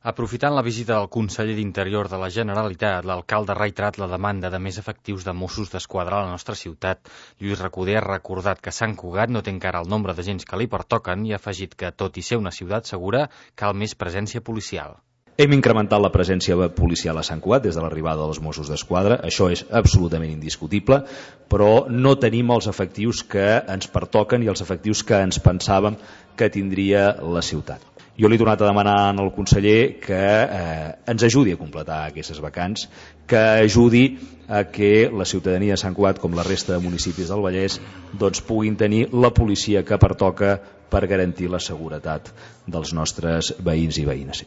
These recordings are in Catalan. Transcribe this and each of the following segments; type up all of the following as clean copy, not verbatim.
Aprofitant la visita del conseller d'Interior de la Generalitat, l'alcalde ha reiterat la demanda de més efectius de Mossos d'Esquadra a la nostra ciutat. Lluís Recoder ha recordat que Sant Cugat no té encara el nombre d'agents que li pertoquen i ha afegit que, tot i ser una ciutat segura, cal més presència policial. Hem incrementat la presència policial a Sant Cugat des de l'arribada dels Mossos d'Esquadra, això és absolutament indiscutible, però no tenim els efectius que ens pertoquen i els efectius que ens pensàvem que tindria la ciutat. Jo li he tornat a demanar al conseller que ens ajudi a completar aquestes vacants, que ajudi a que la ciutadania de Sant Cugat, com la resta de municipis del Vallès, doncs puguin tenir la policia que pertoca per garantir la seguretat dels nostres veïns i veïnes.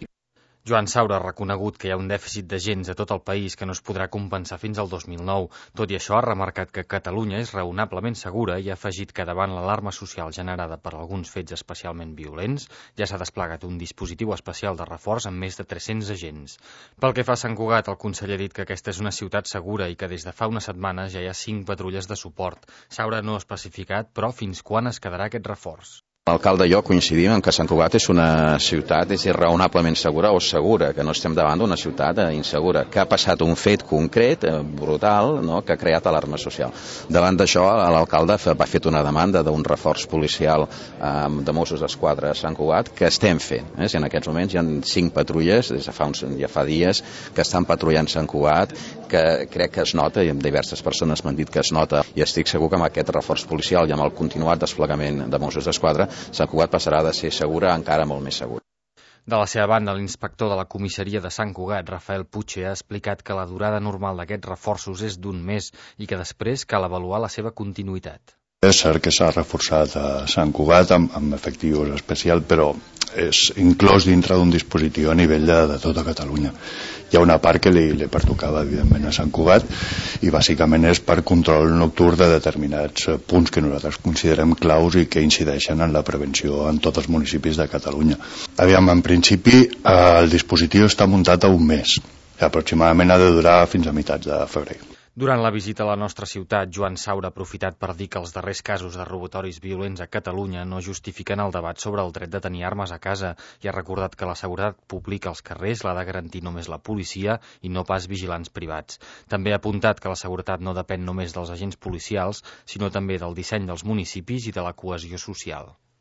Joan Saura ha reconegut que hi ha un dèficit d'agents a tot el país que no es podrà compensar fins al 2009. Tot i això, ha remarcat que Catalunya és raonablement segura i ha afegit que davant l'alarma social generada per alguns fets especialment violents, ja s'ha desplegat un dispositiu especial de reforç amb més de 300 agents. Pel que fa a Sant Cugat, el conseller ha dit que aquesta és una ciutat segura i que des de fa unes setmanes ja hi ha 5 patrulles de suport. Saura no ha especificat, però, fins quan es quedarà aquest reforç. L'alcalde i jo coincidim en que Sant Cugat és una ciutat raonablement segura o segura, que no estem davant d'una ciutat insegura, que ha passat un fet concret, brutal, no?, que ha creat alarma social. Davant d'això, l'alcalde va fer una demanda d'un reforç policial de Mossos d'Esquadra a Sant Cugat, que estem fent. Si en aquests moments hi ha 5 patrulles, des de ja fa dies, que estan patrullant Sant Cugat, que crec que es nota, i diverses persones m'han dit que es nota, i estic segur que amb aquest reforç policial i amb el continuat desplegament de Mossos d'Esquadra, Sant Cugat passarà de ser segura encara molt més segura. De la seva banda, l'inspector de la comissaria de Sant Cugat, Rafael Puche, ha explicat que la durada normal d'aquests reforços és d'1 mes i que després cal avaluar la seva continuïtat. És cert que s'ha reforçat a Sant Cugat amb efectius especials, però és inclòs dintre d'un dispositiu a nivell de tota Catalunya. Hi ha una part que li pertocava, evidentment, a Sant Cugat i bàsicament és per control nocturn de determinats punts que nosaltres considerem claus i que incideixen en la prevenció en tots els municipis de Catalunya. Aviam, en principi, el dispositiu està muntat a 1 mes. Aproximadament ha de durar fins a meitats de febrer. Durant la visita a la nostra ciutat, Joan Saura ha aprofitat per dir que els darrers casos de robatoris violents a Catalunya no justifiquen el debat sobre el dret de tenir armes a casa i ha recordat que la seguretat pública als carrers l'ha de garantir només la policia i no pas vigilants privats. També ha apuntat que la seguretat no depèn només dels agents policials, sinó també del disseny dels municipis i de la cohesió social.